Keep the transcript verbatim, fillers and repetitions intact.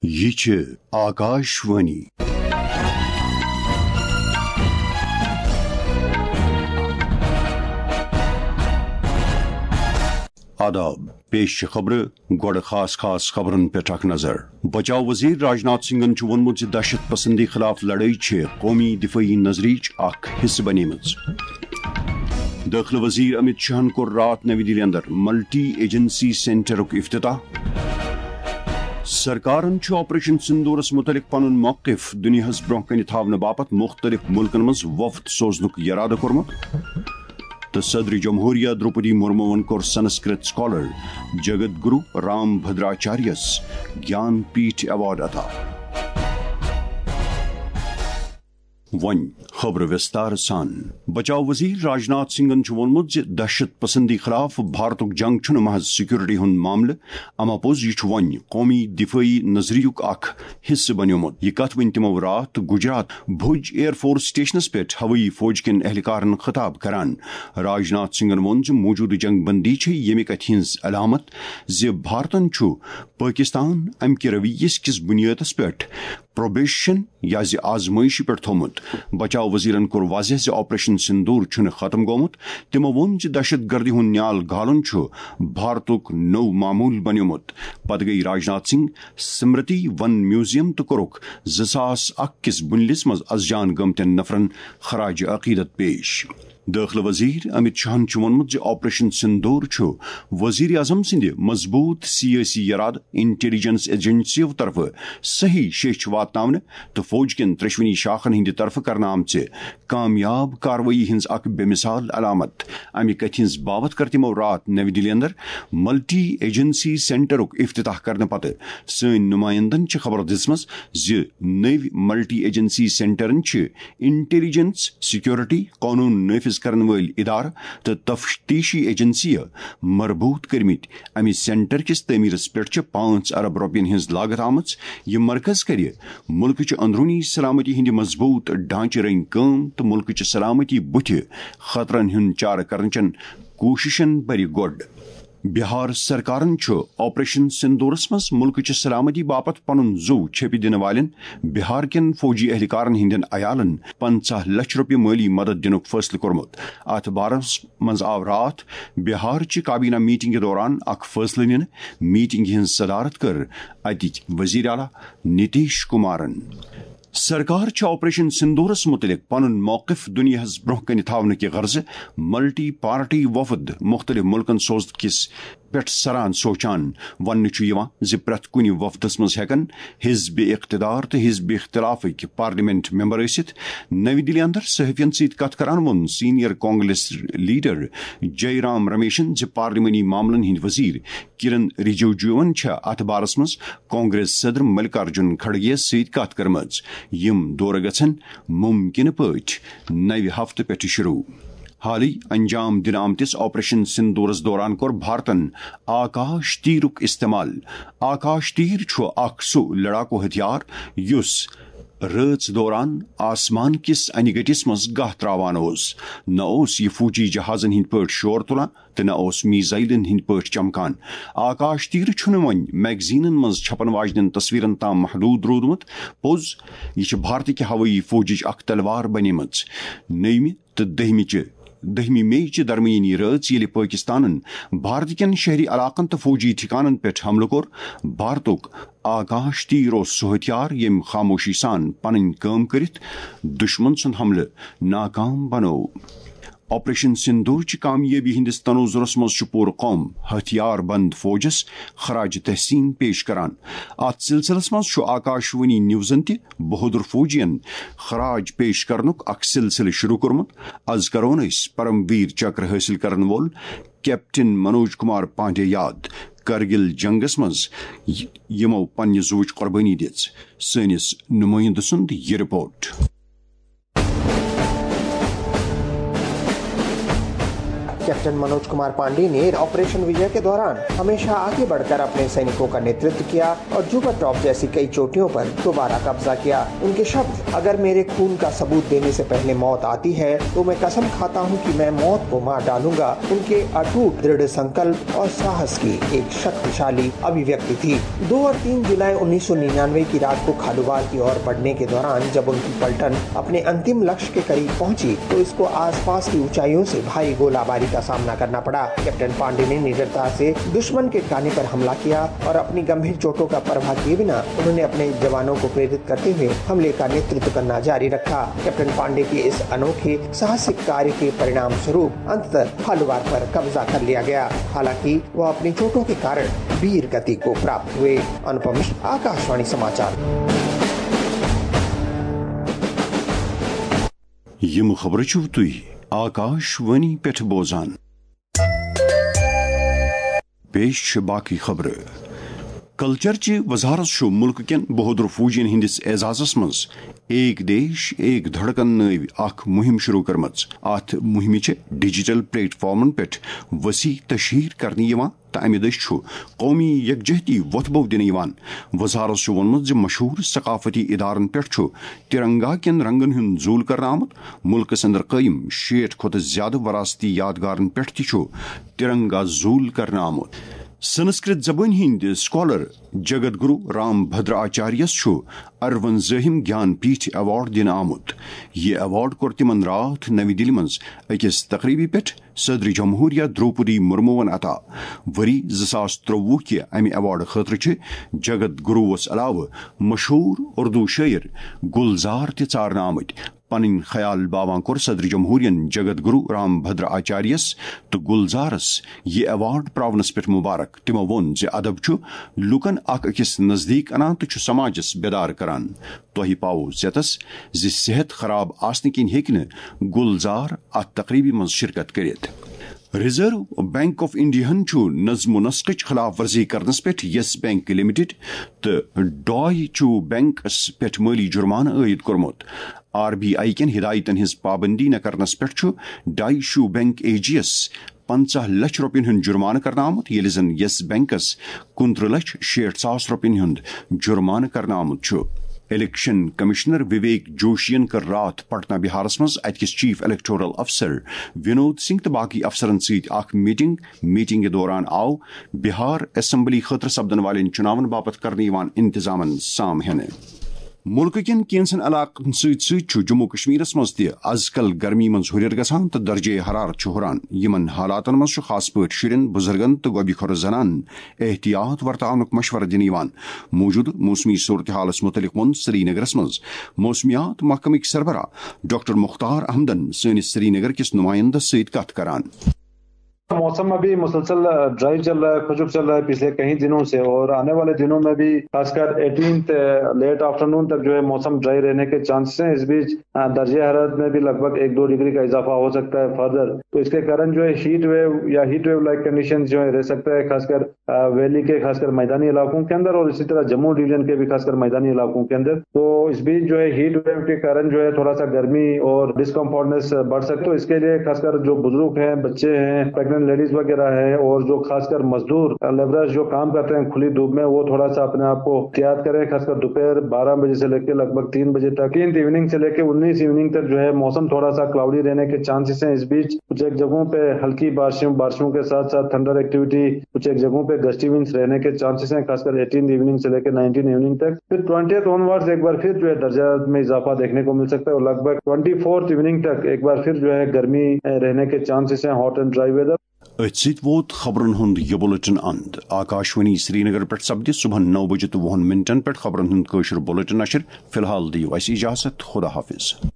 یہِ چھِ آکاش وانی۔ آداب، پیش چھِ خبرٕ، گۄڈٕ خاص خاص خبرن پٮ۪ٹھ اکھ نظر۔ بچاو وزیر راجناتھ سنگھن چھُ ووٚنمُت زِ دہشت پسندی خلاف لڑٲے چھِ قومی دفٲعی نظریچ اکھ حصہٕ بنیمٕژ۔ دٲخلہٕ وزیر امت شاہن کوٚر راتھ نوی دِلہِ اندر ملٹی ایجنسی سینٹرُک افتتاح۔ سرکارن چھُ آپریشن سندورس متعلق پنُن موقف دُنیاہس برونٛہہ کنہِ تھاونہٕ باپتھ مُختٔلِف مُلکن منٛز وفد سوزنُک یرادٕ کوٚرمُت۔ تہٕ صدر جمہوریہ درٛوپدی مرموٗوَن کوٚر سنسکرت سکالر جگت گرو رام بھدراچاریس گیان پیٹھ ایوارڈ عطا۔ وۄنۍ خبرٕ وِستار سان۔ بچاو وزیر راجناتھ سنگھن چھُ ووٚنمُت زِ دہشت پسندی خلاف بھارتُک جنگ چھُنہٕ محض سیکورٹی ہُنٛد معاملہٕ، اما پوٚز یہِ چھُ وۄنۍ قومی دفٲعی نظریُک اکھ حصہٕ بنیومُت۔ یہِ کتھ ؤنۍ تِمو راتھ گجرات بھج ایئر فورس سٹیشنس پٮ۪ٹھ ہوٲیی فوج کٮ۪ن اہلکارن خطاب کران۔ راجناتھ سنگھن ووٚن زِ موجودٕ جنگ بندی چھےٚ ییٚمہِ کتھِ ہٕنٛز علامت زِ بھارتن چھُ پٲکستان امہِ کہِ رویس کِس بنیادس پٮ۪ٹھ پروبیشن یا زِ آزمٲیشہِ پٮ۪ٹھ تھوٚومُت۔ بچاو وزیرن کوٚر واضح زِ آپریشن سندور چھُنہٕ ختم گوٚمُت۔ تِمو ووٚن زِ دہشت گردی ہُنٛد نیال گالُن چھُ بھارتُک نوٚو معموٗل بنیومُت۔ پتہٕ گٔیہِ راجناتھ سنگھ سمرتی ون میوزیم تہٕ کوٚرُکھ زٕ ساس اکھ کِس بُنلِس منٛز از جان گٔمتٮ۪ن نفرن خراج عقیدت پیش۔ دٲخلہٕ وزیر امت شاہن چھُ ووٚنمُت زِ آپریشن سندور چھُ وزیر اعظم سٕنٛدِ مضبوٗط سیٲسی ارادٕ، انٹیلیجنس ایجنسیو طرفہٕ صحیح شیٚچھ واتناونہٕ تہٕ فوج کٮ۪ن ترٛیٚشوٕنی شاخن ہٕنٛدِ طرفہٕ کرنہٕ آمژِ کامیاب کاروٲیی ہٕنٛز اکھ بے مثال علامت۔ امہِ کتھِ ہٕنٛز باوتھ کٔر تِمو راتھ نوی دِلہِ اندر ملٹی ایجنسی سینٹرُک افتتاح کرنہٕ پتہٕ۔ سٲنۍ نمائندن چھِ خبر دِژمٕژ زِ نٔوۍ ملٹی ایجنسی سینٹرن چھِ انٹیلیجنس، سیکورٹی، قونوٗن نافذ کرن وٲلۍ ادارٕ تہٕ تفتیشی ایجنسیہٕ مربوط کٔرمٕتۍ۔ امہِ سینٹر کِس تعمیرس پٮ۪ٹھ چھِ پانٛژھ ارب رۄپین ہٕنٛز لاگت آمٕژ۔ یہِ مرکز کرِ مُلکٕچہِ اندروٗنی سلامتی ہٕنٛدِ مضبوٗط ڈھانچہٕ رنگۍ کٲم تہٕ مُلکٕچہِ سلامتی بُتھِ خطرن ہُنٛد چارٕ کرنٕچن کوٗششن برِ گۄڈ۔ بہار سرکارن چھُ آپریشن سندورس منٛز مُلکٕچہِ سلامتی باپتھ پنُن زُو چھیپہِ دِنہٕ والٮ۪ن بہار کٮ۪ن فوجی اہلکارن ہٕنٛدٮ۪ن عیالن پنٛژاہ لچھ رۄپیہِ مٲلی مدد دِنُک فٲصلہٕ کوٚرمُت۔ اتھ بارس منٛز آو راتھ بہار چہِ کابینہ میٹنگہِ دوران اکھ فٲصلہٕ نِنہٕ۔ میٹنگہِ ہٕنٛز صدارت کٔر اتِکۍ وزیر اعلیٰ نتیش کمارن۔ سرکار چھِ آپریشن سندورس متعلق پنُن موقف دُنیاہس برونٛہہ کنہِ تھاونہٕ کہِ غرضہٕ ملٹی پارٹی وفد مُختٔلِف مُلکن سوزنہٕ کِس پٮ۪ٹھ سران سونچان۔ وننہٕ چھُ یِوان زِ پرٛٮ۪تھ کُنہِ وفدس منٛز ہٮ۪کن حزب اقتدار تہٕ حزب اختلافٕکۍ پارلیمنٹ ممبر ٲسِتھ۔ نوی دِلہِ اندر صحافین سۭتۍ کتھ کران ووٚن senior congress leader Jai Ram رمیشن زِ پارلیمانی معاملن ہٕنٛدۍ وزیر کرن رجیجوَن چھےٚ اتھ بارس منٛز کانگریس صدر ملکارجن کھڑگے یَس سۭتۍ کتھ کٔرمٕژ۔ یِم دورٕ گژھن ممکنہٕ پٲٹھۍ نوِ ہفتہٕ پٮ۪ٹھٕ شروع۔ حالٕے انجام دِنہٕ آمتِس آپریشن سندورس دوران کوٚر بھارتن آکاش تیرُک استعمال۔ آکاش تیر چھُ اکھ سُہ لڑاکو ہتھیار یُس رٲژ دوران آسمان کِس انہِ گٔٹِس منٛز گاہ تراوان اوس۔ نہ اوس یہِ فوجی جہازن ہٕنٛدۍ پٲٹھۍ شور تُلان تہٕ نہ اوس میزائلن ہٕنٛدۍ پٲٹھۍ چمکان۔ آکاش تیر چھُنہٕ وۄنۍ میگزینن منٛز چھپن واجنٮ۪ن تصویرن تام محدود روٗدمُت۔ پوٚز، یہِ چھِ بھارتٕکہِ ہوٲیی فوجٕچ اکھ تلوار بنیمٕژ۔ نٔیمہِ تہٕ دٔہمہِ چہِ دٔہمہِ مئی چہِ درمیٲنی رٲژ ییٚلہِ پٲکستانن بھارتٕکٮ۪ن شہری علاقن تہٕ فوجی ٹھِکانن پٮ۪ٹھ حملہٕ کوٚر، بھارتُک آکاش تیر اوس سُہ ہتھیار ییٚمۍ خاموشی سان پنٕنۍ کٲم کٔرِتھ دُشمن سُنٛد حملہٕ ناکام بنوو۔ آپریشن سندور چہِ کامیٲبی ہٕنٛدِس تناظرس منٛز چھُ پوٗرٕ قوم ہتھیار بند فوجس خراج تحسین پیش کران۔ اتھ سلسلس منٛز چھُ آکاش وانی نیوزن تہِ بہادر فوجین خراج پیش کرنُک اکھ سلسلہٕ شروع کوٚرمُت۔ از کرون أسۍ پرم ویر چکر حٲصِل کرن وول کیپٹن منوج کمار پانڈے یاد، کرگل جنگس منٛز ی-، یِمو پننہِ زُوٕچ قربٲنی دِژ۔ سٲنِس نُمٲیِندٕ سُنٛد یہِ رپورٹ۔ कैप्टन मनोज कुमार पांडे ने ऑपरेशन विजय के दौरान हमेशा आगे बढ़कर अपने सैनिकों का नेतृत्व किया और जुगर टॉप जैसी कई चोटियों पर दोबारा कब्जा किया। उनके शब्द, "अगर मेरे खून का सबूत देने से पहले मौत आती है तो मैं कसम खाता हूं कि मैं मौत को मार डालूंगा," उनके अटूट दृढ़ संकल्प और साहस की एक शक्तिशाली अभिव्यक्ति थी। दो और तीन जुलाई उन्नीस सौ निन्यानवे की रात को खालूवार की ओर बढ़ने के दौरान जब उनकी पलटन अपने अंतिम लक्ष्य के करीब पहुंची तो इसको आसपास की ऊंचाइयों से भारी गोलाबारी का सामना करना पड़ा। कैप्टन पांडे ने निडरता से दुश्मन के ठिकाने पर हमला किया और अपनी गंभीर चोटों का परवाह किए बिना उन्होंने अपने जवानों को प्रेरित करते हुए हमले का नेतृत्व करना जारी रखा। कैप्टन पांडे के इस अनोखे साहसिक कार्य के परिणाम स्वरूप अंततः खालूवार पर कब्जा कर लिया गया। हालांकि वह अपनी चोटों के कारण वीर गति को प्राप्त हुए। अनुपम मिश्र, आकाशवाणी समाचार। یِم خبرٕ چھِو تُہۍ آکاشوانی پٮ۪ٹھ بوزان۔ پیش چھِ باقٕے خبرٕ۔ کلچر چہِ وزارت چھُ مُلکہٕ کٮ۪ن بہادر فوجین ہٕنٛدِس اعزازس منٛز ایک دیش ایک دھڑکن نٲوۍ اکھ مُہِم شروع کٔرمٕژ۔ اتھ مُہِمہِ چھِ ڈیجیٹل پلیٹ فارمن پٮ۪ٹھ وسیع تشہیر کرنہٕ یِوان تہٕ امہِ دٔسۍ چھُ قومی یکجہتی وۄتھ بو دِنہٕ یِوان۔ وزارت چھُ ووٚنمُت زِ مشہوٗر ثقافتی ادارن پٮ۪ٹھ چھُ ترنگا کٮ۪ن رنگن ہُنٛد زوٗل کرنہٕ آمُت۔ مُلکہٕ سٕنٛدر قٲیِم شیٹھ کھۄتہٕ زیادٕ وراثتی یادگارن پٮ۪ٹھ تہِ چھُ ترنگا زوٗل کرنہٕ آمُت۔ سنسکرت زبٲنۍ ہٕنٛدۍ سکالر جگت گرو رام بھدر آچاریس چھُ ارونزٲہِم گیان پیٹھ ایوارڈ دِنہٕ آمُت۔ یہِ ایوارڈ کوٚر تِمن راتھ نَوِ دِلہِ منٛز أکِس تقریٖبہِ پٮ۪ٹھ صدر جمہوریہ درٛوپدی مُرموٗوَن عطا۔ ؤری زٕ ساس ترٛۆوُہ کہِ امہِ ایوارڈٕ خٲطرٕ چھِ جگت گروس علاوٕ مشہوٗر اردو شٲعر گلزار تہِ ژارنہٕ آمٕتۍ۔ پنٕنۍ خیال باوان کوٚر صدر جمہوریہن جگت گرو رام بھدر آچاریس تہٕ گلزارس یہِ ایوارڈ پراونس پٮ۪ٹھ مبارک۔ تِمو ووٚن زِ ادب چھُ لوٗکن اکھ أکِس نزدیٖک انان تہٕ چھُ سماجس بیدار کران۔ تۄہہِ پاوو ژیتس زِ صحت خراب آسنہٕ کِنۍ ہیٚکہِ نہٕ گلزار اتھ تقریبہِ منٛز شرکت کٔرِتھ۔ ریزرو بینک آف انڈیاہن چھُ نظم و نسقٕچ خلاف ورزی کرنس پٮ۪ٹھ یس بینک لمیٹڈ تہٕ ڈاے چو بینکس پٮ۪ٹھ مٲلی جرمانہٕ عٲید کوٚرمُت۔ آر بی آئی کٮ۪ن ہدایتن ہٕنٛز پابندی نہٕ کرنس پٮ۪ٹھ چھُ ڈاے چو بینک اے جی یس پنژاہ لچھ رۄپین ہُنٛد جرمانہٕ کرنہٕ آمُت، ییٚلہِ زن یس بینکس کُنترٕہ لچھ شیٹھ ساس رۄپین ہُنٛد جرمانہٕ کرنہٕ آمُت چھُ۔ الیکشن کمشنر وویک جوشین کٔر راتھ پٹنہ بہارس منٛز اتہِ کِس چیف الیکٹورل افسر ونود سنگھ تہٕ باقی افسرن سۭتۍ اکھ میٹنگ۔ میٹنگہِ دوران آو بہار اسمبلی خٲطرٕ سپدن والٮ۪ن چُناون باپتھ کرنہٕ یِوان انتظامن سام ہینہٕ۔ مُلکہٕ کٮ۪ن کینٛژن علاقن سۭتۍ سۭتۍ چھُ جموں کشمیرس منٛز تہِ از کل گرمی منٛز ہُرٮ۪ر گژھان تہٕ درجے حرارت چھُ ہُران۔ یِمن حالاتن منٛز چھُ خاص پٲٹھۍ شُرٮ۪ن، بُزرگن تہٕ گۄبہِ خۄر زنانن احتیاط ورتاونُک مشورٕ دِنہٕ یِوان۔ موجودٕ موسمی صورتحالس مُتعلق ووٚن سرینگرس منٛز موسمیات محکمٕکۍ سربراہ ڈاکٹر مختار احمدن سٲنِس سرینگر کِس نُمایندس سۭتۍ کتھ کران۔ موسم ابھی مسلسل ڈرائی چل رہا ہے، خشک چل رہا ہے پچھلے کئی دنوں سے، اور آنے والے دنوں میں بھی خاص کر ایٹینتھ لیٹ آفٹرنون تک جو ہے موسم ڈرائی رہنے کے چانسز ہیں۔ اس بیچ درجہ حرارت میں بھی لگ بھگ ایک دو ڈگری کا اضافہ ہو سکتا ہے فردر۔ تو اس کے کارن جو ہے ہیٹ ویو یا ہیٹ ویو لائک کنڈیشن جو ہے رہ سکتا ہے، خاص کر ویلی کے خاص کر میدانی علاقوں کے اندر اور اسی طرح جموں ڈویژن کے بھی خاص کر میدانی علاقوں کے اندر۔ تو اس بیچ جو ہے ہیٹ ویو کے کارن جو ہے تھوڑا سا گرمی اور ڈسکمفورٹنس بڑھ سکتے۔ تو اس کے لیے خاص کر جو بزرگ ہیں، بچے ہیں، پریگننٹ لیڈیز وغیرہ ہیں اور جو خاص کر مزدور لیبررز جو کام کرتے ہیں کھلی دھوپ میں، وہ تھوڑا سا اپنے آپ کو احتیاط کریں۔ خاص کر دوپہر بارہ بجے سے لے کے لگ بھگ تین بجے تک، تین ایوننگ سے لے کے انیس ایوننگ تک جو ہے موسم تھوڑا سا کلاؤڈی رہنے کے چانسز ہیں۔ اس بیچ کچھ ایک جگہوں پہ ہلکی بارشوں بارشوں کے ساتھ ساتھ تھنڈر ایکٹیویٹی، کچھ ایک جگہوں پہ گسٹی ونڈز رہنے کے چانسز ہیں، خاص کر ایٹین ایوننگ سے لے کے نائنٹین ایوننگ تک۔ پھر ٹوئنٹیتھ آن ورڈز ایک بار پھر جو ہے درجات میں اضافہ دیکھنے کو مل سکتا ہے اور لگ بھگ ٹوئنٹی فورتھ ایوننگ تک ایک بار پھر جو ہے گرمی رہنے کے چانسز ہیں، ہاٹ اینڈ ڈرائی ویدر۔ أتھۍ سۭتۍ ووت خبرن ہُنٛد یہِ بُلٹن اند۔ آکاشوانی سرینگر پٮ۪ٹھ سپدِ صبحن نو بجہِ تہٕ وُہن منٹن پٮ۪ٹھ خبرن ہُنٛد کٲشُر بُلٹن نشر۔ فی الحال دِیِو اَسہِ اجازت۔ خدا حافظ۔